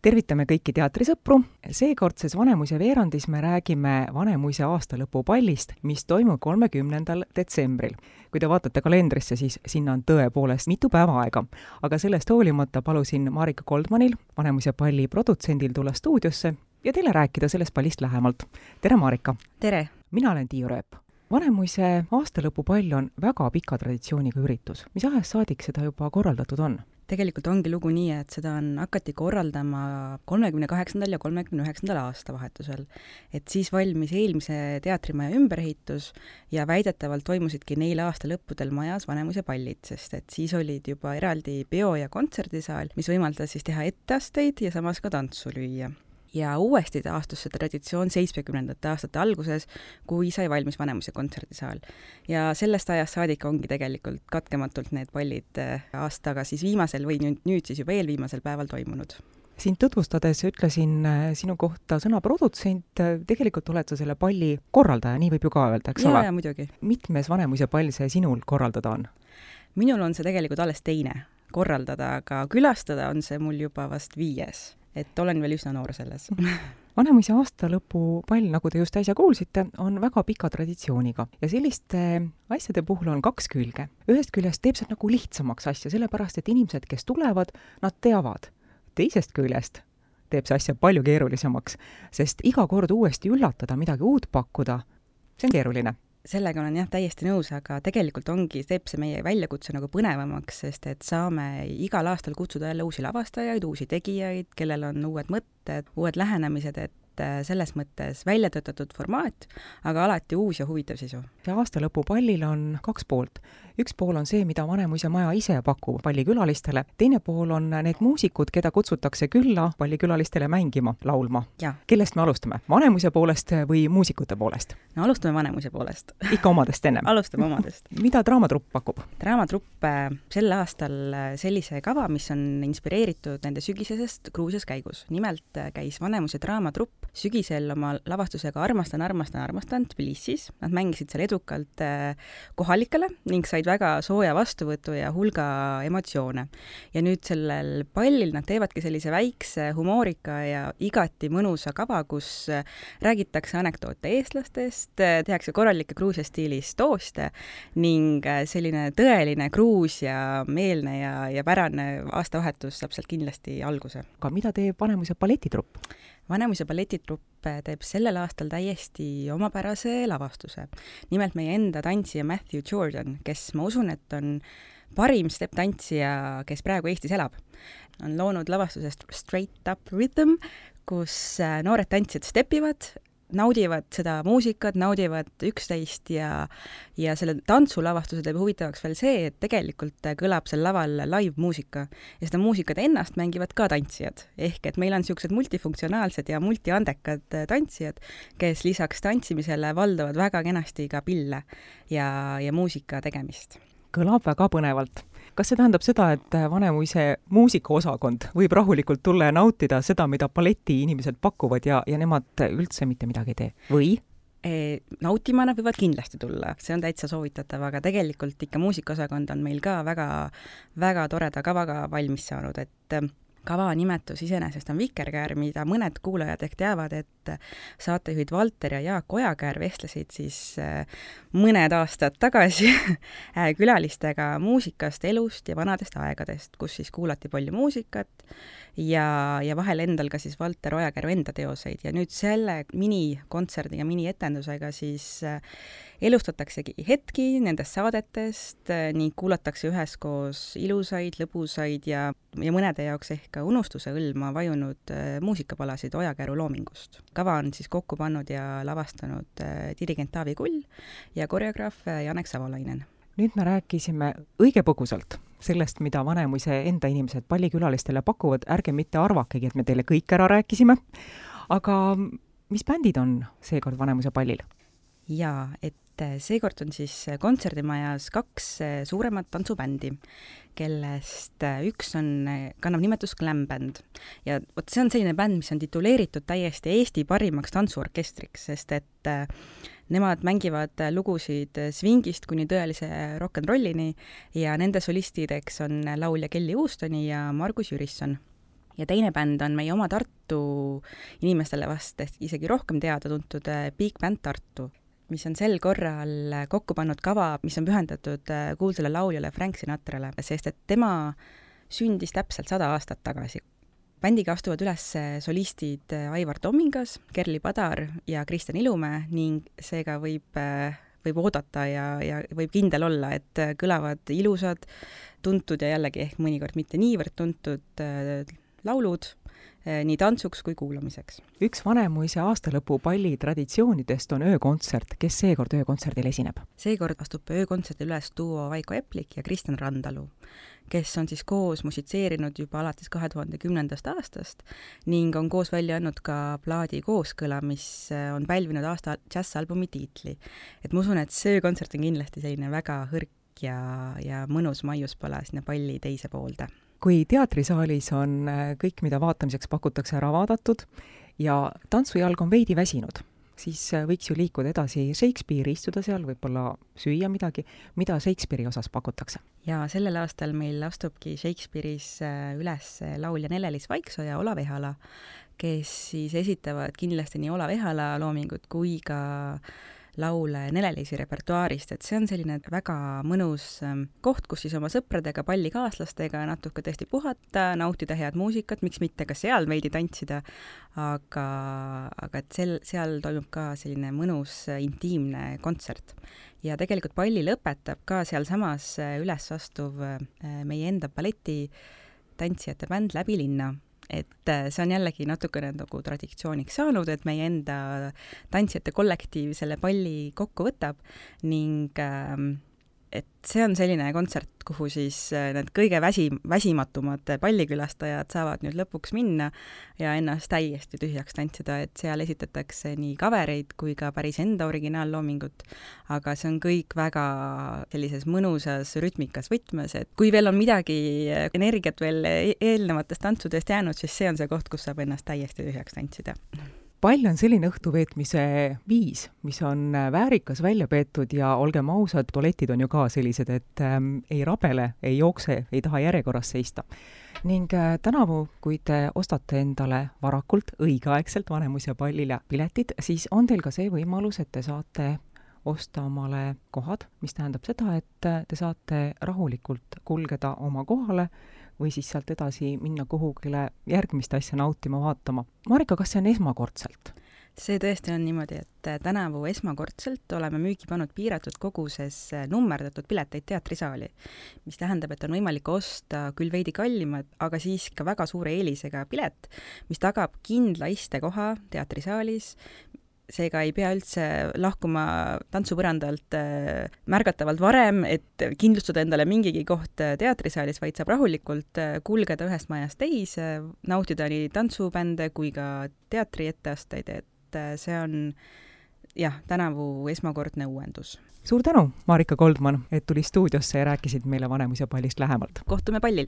tervitame kõiki teatrisõpru. Seekordses Vanemuise veerandis me räägime Vanemuise aastalõpupallist, mis toimub 30. detsembril. Kui te vaatate kalendrisse, siis sinna on tõepoolest mitu päeva aega. Aga sellest hoolimata palusin Marika Goldmanil, Vanemuise palli produtsendil, tulla stuudiosse ja teile rääkida sellest pallist lähemalt. Tere, Marika! Tere! Mina olen Tiiu Rööp. Vanemuise aastalõpupall on väga pika traditsiooniga üritus. Mis ajast saadik seda juba korraldatud on? Tegelikult ongi lugu nii, et seda hakati korraldama 38. ja 39. aastavahetusel. Et siis valmis eelmise teatrimaja ümberehitus ja väidetavalt toimusidki neil aastalõppudel majas Vanemuise pallid, sest et siis olid juba eraldi peo- ja kontserdisaal, mis võimaldas siis teha etteasteid ja samas ka tantsu lüüa. Ja uuesti taastus see traditsioon 70. aastate alguses, kui sai valmis Vanemuise kontserdisaal. Ja sellest ajast saadik ongi tegelikult katkematult need pallid aastaga siis viimasel või nüüd siis juba eelviimasel päeval toimunud. Sind tutvustades ütlesin sinu kohta sõna produtsent, tegelikult oled sa selle palli korraldaja, nii võib ju ka öelda, eks ole? Jaa, muidugi. Mitmes Vanemuise pall see sinul korraldada on? Minul on see tegelikult alles teine korraldada, aga külastada on see mul juba vast 5. Et olen veel üsna noor selles. Vanemuise aastalõpupall, nagu te just äsja kuulsite, on väga pika traditsiooniga ja selliste asjade puhul on 2 külge. Ühest küljest teeb see nagu lihtsamaks asja, sellepärast et inimesed, kes tulevad, nad teavad. Teisest küljest teeb see asja palju keerulisemaks, sest iga kord uuesti üllatada, midagi uut pakkuda, see on keeruline. Sellega olen jah täiesti nõus, aga tegelikult teeb see meie väljakutse nagu põnevamaks, sest et saame igal aastal kutsuda jälle uusi lavastajaid, uusi tegijaid, kellel on uued mõtted, uued lähenemised, et selles mõttes välja töötatud formaat, aga alati uus ja huvitav sisu. Ja aastalõpupallil on 2 poolt. Üks pool on see, mida Vanemuise maja ise pakub pallikülalistele. Teine pool on need muusikud, keda kutsutakse külla pallikülalistele mängima, laulma. Ja. Kellest me alustame? Vanemuise poolest või muusikute poolest? No alustame Vanemuise poolest. Ikka omadest ennem. Alustame omadest. Mida Draamatrupp pakub? Draamatrupp sel aastal sellise kava, mis on inspireeritud nende sügisesest Gruusias käigus. Nimelt käis Vanemuise Draamatrupp sügisel oma lavastusega Armastan Tbilisis. Nad mängisid seal edukalt kohalikele ning said väga sooja vastuvõtu ja hulga emotsioone. Ja nüüd sellel pallil nad teevadki sellise väikse humoorika ja igati mõnusa kava, kus räägitakse anekdoote eestlastest, tehakse korralikke Gruusia stiilis tooste ning selline tõeline Gruusia meelne ja pärane aastavahetus saab sealt kindlasti alguse. Aga mida teeb Vanemuise balletitrupp? Vanemuise balletitrupp teeb sellel aastal täiesti omapärase lavastuse. Nimelt meie enda tantsija Matthew Jordan, kes ma usun, et on parim step-tantsija, kes praegu Eestis elab. On loonud lavastusest Straight Up Rhythm, kus noored tantsijad stepivad, naudivad seda muusikat, naudivad üksteist ja selle tantsulavastuse teeb huvitavaks veel see, et tegelikult kõlab seal laval live-muusika ja seda muusikat ennast mängivad ka tantsijad. Ehk et meil on niisugused multifunktsionaalsed ja multiandekad tantsijad, kes lisaks tantsimisele valdavad väga kenasti ka pille ja muusika tegemist. Kõlab väga põnevalt. Kas see tähendab seda, et Vanemuise muusikaosakond võib rahulikult tulla ja nautida seda, mida balleti inimesed pakuvad ja nemad üldse mitte midagi ei tee? Või? Nautima nad võivad kindlasti tulla, see on täitsa soovitatav, aga tegelikult ikka muusikaosakond on meil ka väga, väga toreda kavaga valmis saanud, et kava nimetus iseenesest on Vikerkäär, mida mõned kuulajad ehk teavad, et saatejuhid Valter ja Jaak Ojakäär vestlesid siis mõned aastad tagasi külalistega muusikast, elust ja vanadest aegadest, kus siis kuulati palju muusikat ja vahel endal ka siis Valter Ojakääru enda teoseid. Ja nüüd selle minikontserdi ja minietendusega siis elustataksegi hetki nendest saadetest, nii kuulatakse üheskoos ilusaid, lõbusaid ja mõnede jaoks ehk ka unustuse õlma vajunud muusikapalasid Ojakääru loomingust. Kava on siis kokku pannud ja lavastanud dirigent Taavi Kull ja koreograaf Janek Savolainen. Nüüd me rääkisime õige põgusalt sellest, mida Vanemuise enda inimesed pallikülalistele pakuvad. Ärge mitte arvakegi, et me teile kõik ära rääkisime. Aga mis bändid on seekord Vanemuise pallil? Jaa, et seekord on siis kontserdimajas 2 suuremat tantsubändi, kellest üks kannab nimetust Glam Band. Ja see on selline bänd, mis on tituleeritud täiesti Eesti parimaks tantsuorkestriks, sest et nemad mängivad lugusid swingist kuni tõelise rock'n'rollini ja nende solistideks on laulja Kelly Houstoni ja Margus Jürisson. ja teine bänd on meie oma Tartu inimestele vast isegi rohkem teada-tuntud Big Band Tartu, mis on sel korral kokku pannud kava, mis on pühendatud kuulsale lauljale Frank Sinatrale, sest et tema sündis täpselt 100 aastat tagasi. Bändiga astuvad üles solistid Aivar Tomingas, Kerli Padar ja Kristjan Ilumäe ning seega võib oodata ja võib kindel olla, et kõlavad ilusad, tuntud ja jällegi ehk mõnikord mitte niivõrd tuntud laulud nii tantsuks kui kuulamiseks. Üks Vanemuise aastalõpu palli traditsioonidest on öökontsert. Kes seekord öökontserdil esineb? Seekord astub öökontserdil üles duo Vaiko Eplik ja Kristjan Randalu, kes on siis koos musitseerinud juba alates 2010. aastast ning on koos välja andnud ka plaadi Kooskõla, mis on pälvinud aasta džässalbumi tiitli. Et ma usun, et see öökontsert on kindlasti selline väga hõrk ja mõnus maiuspala sinna palli teise poolde. Kui teatrisaalis on kõik, mida vaatamiseks pakutakse, ära vaadatud ja tantsujalg on veidi väsinud, siis võiks ju liikuda edasi Shakespeare'i, istuda seal, võib-olla süüa midagi, mida Shakespeare'i osas pakutakse. Ja sellel aastal meil astubki Shakespeare'is üles laulja Nele-Liis Vaiksoo ja Olav Ehala, kes siis esitavad kindlasti nii Olav Ehala loomingut kui ka laule Nele-Liisi repertuaarist, et see on selline väga mõnus koht, kus siis oma sõpradega, pallikaaslastega natuke tõesti puhata, nautida head muusikat, miks mitte ka seal veidi tantsida, aga et seal toimub ka selline mõnus intiimne kontsert. Ja tegelikult palli lõpetab ka sealsamas üles astuv meie enda balleti tantsijate bänd Läbi linna. Et see on jällegi natukene nagu traditsiooniks saanud, et meie enda tantsijate kollektiiv selle palli kokku võtab ning et see on selline kontsert, kuhu siis need kõige väsimatumad pallikülastajad saavad nüüd lõpuks minna ja ennast täiesti tühjaks tantsida, et seal esitatakse nii kavereid kui ka päris enda originaalloomingut, aga see on kõik väga sellises mõnusas rütmikas võtmes, et kui veel on midagi energiat veel eelnevatest tantsudest jäänud, siis see on see koht, kus saab ennast täiesti tühjaks tantsida. Pall on selline õhtuveetmise viis, mis on väärikas välja peetud ja olgem ausad, tualetid on ju ka sellised, et ei rabele, ei jookse, ei taha järjekorras seista. Ning tänavu, kui te ostate endale varakult, õigeaegselt Vanemuise pallile piletid, siis on teil ka see võimalus, et te saate osta omale kohad, mis tähendab seda, et te saate rahulikult kulgeda oma kohale või siis sealt edasi minna kuhugile järgmist asja nautima, vaatama. Marika, kas see on esmakordselt? See tõesti on niimoodi, et tänavu esmakordselt oleme müügi pannud piiratud koguses nummerdatud pileteid teatrisaali, mis tähendab, et on võimalik osta küll veidi kallimad, aga siis ka väga suure eelisega pilet, mis tagab kindla istekoha teatrisaalis, seega ei pea üldse lahkuma tantsupõrandalt märgatavalt varem, et kindlustada endale mingigi koht teatrisaalis, vaid saab rahulikult kulgeda ühest majast teise, nautida nii tantsubände kui ka teatri etteasteid, et see on tänavu esmakordne uuendus. Suur tänu, Marika Goldman, et tuli stuudiosse ja rääkisid meile Vanemuise pallist lähemalt. Kohtume pallil!